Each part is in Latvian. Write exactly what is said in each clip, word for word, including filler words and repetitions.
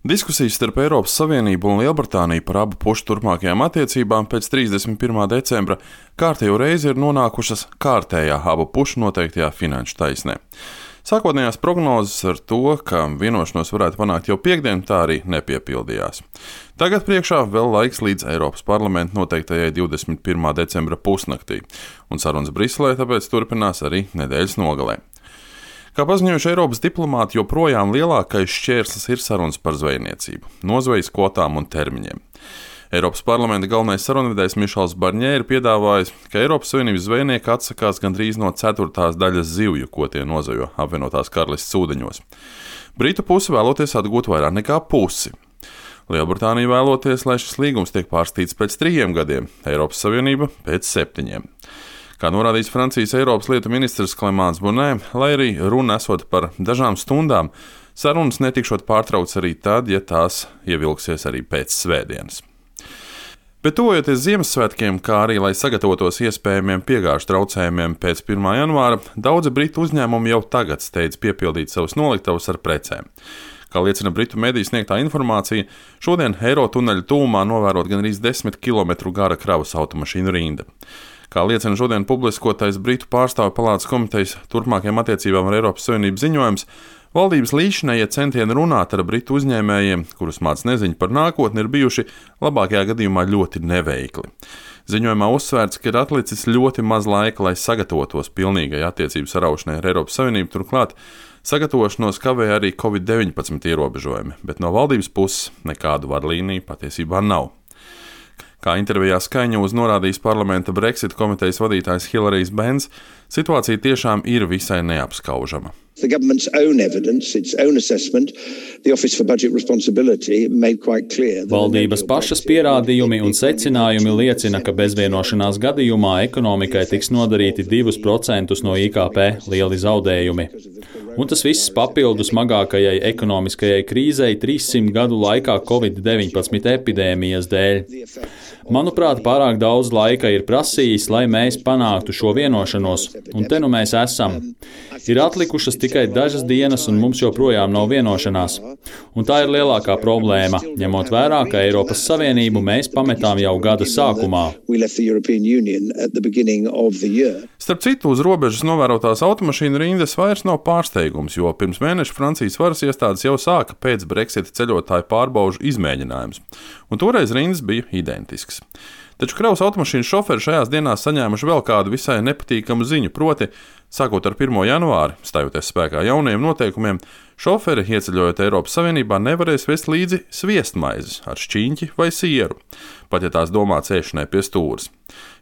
Diskusijas starp Eiropas Savienību un Lielbritāniju par abu pušu turpmākajām attiecībām pēc trīsdesmit pirmā decembra kārtējo reizi ir nonākušas kārtējā abu pušu noteiktajā finanšu taisnē. Sākotnējās prognozes ar to, ka vienošanos varētu panākt jau piektdien, tā arī nepiepildījās. Tagad priekšā vēl laiks līdz Eiropas parlamenta noteiktajai divdesmit pirmā decembra pusnaktī, un sarunas Briselē tāpēc turpinās arī nedēļas nogalē. Kā paziņojuši Eiropas diplomāti, joprojām lielākais šķērslis ir sarunas par zvejniecību, nozvejas kvotām un termiņiem. Eiropas parlamenta galvenais sarunvedējs Mišels Barņē ir piedāvājis, ka Eiropas Savienības zvejnieki atsakās gandrīz no ceturtās daļas zivju, ko tie nozvejo apvienotās karalistes ūdeņos. Britu puse vēloties atgūt vairāk nekā pusi. Lielbritānija vēloties, lai šis līgums tiek pārstīts pēc trījiem gadiem, Eiropas Savienība pēc septiņiem. Kā norādījis Francijas Eiropas lietu ministrs Clément Beaune, lai arī runa esot par dažām stundām, sarunas netikšot pārtraukts arī tad, ja tās ievilksies arī pēc svētdienas. Bet tuvojoties Ziemassvētkiem, kā arī lai sagatavotos iespējamiem piegāžu traucējumiem pēc pirmā janvāra, daudzi britu uzņēmumi jau tagad steidz piepildīt savus noliktavus ar precēm. Kā liecina britu mediju sniegtā informācija, šodien Eiro tuneļa tuvumā novērot gandrīz desmit kilometru gara kravas automašīnu rinda. Kā liecina šodien publiskotais Britu pārstāvju palātas komitejas turpmākajām attiecībām ar Eiropas Savienību ziņojums, valdības līdzinējie centieni runāt ar britu uzņēmējiem, kurus māc neziņa par nākotni, ir bijuši labākajā gadījumā ļoti neveikli. Ziņojumā uzsvērts, ka ir atlicis ļoti maz laika, lai sagatavotos pilnīgai attiecību saraušanai ar Eiropas Savienību, turklāt sagatavošanos kavēja arī covid deviņpadsmit ierobežojumi, bet no valdības puses nekādu vadlīniju patiesībā nav. Kā intervijā Sky News norādījis parlamenta Brexit komitejas vadītājs Hilarijs Benns, situācija tiešām ir visai neapskaužama. The government's own evidence, its own assessment, the Office for Budget Responsibility made quite clear. Valdības pašas pierādījumi un secinājumi liecina, ka bezvienošanās gadījumā ekonomikai tiks nodarīti divus procentus no I K P lieli zaudējumi. Un tas viss papildus smagākajai ekonomiskajai krīzei trīssimt gadu laikā covid deviņpadsmit epidēmijas dēļ. Manuprāt, pārāk daudz laika ir prasījis, lai mēs panāktu šo vienošanos, un te nu mēs esam. Ir atlikušas tikai dažas dienas, un mums joprojām nav vienošanās. Un tā ir lielākā problēma, ņemot vērā, ka Eiropas Savienību mēs pametām jau gada sākumā. Starp citu, uz robežas novērotās automašīnu rindas vairs nav pārsteigums, jo pirms mēneša Francijas varas iestādes jau sāka pēc Brexita ceļotāju pārbaužu izmēģinājumus, un toreiz rindas bija identisks. Taču kravas automašīnu šoferi šajās dienās saņēmuši vēl kādu visai nepatīkamu ziņu, proti, sākot ar pirmo janvāri, stājoties spēkā jaunajiem noteikumiem, šoferi, ieceļojot Eiropas Savienībā, nevarēs vest līdzi sviestmaizes ar šķīņķi vai sieru, pat ja tās domāts ēšanai pie stūres.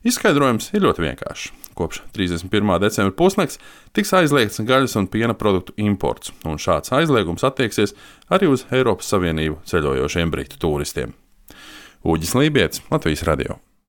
Izskaidrojums ir ļoti vienkāršs. Kopš trīsdesmit pirmā decembra pusnakts tiks aizliegts gaļas un piena produktu imports, un šāds aizliegums attieksies arī uz Eiropas Savienību ceļojošiem britu turistiem. Uģis Lībietis, Latvijas radio.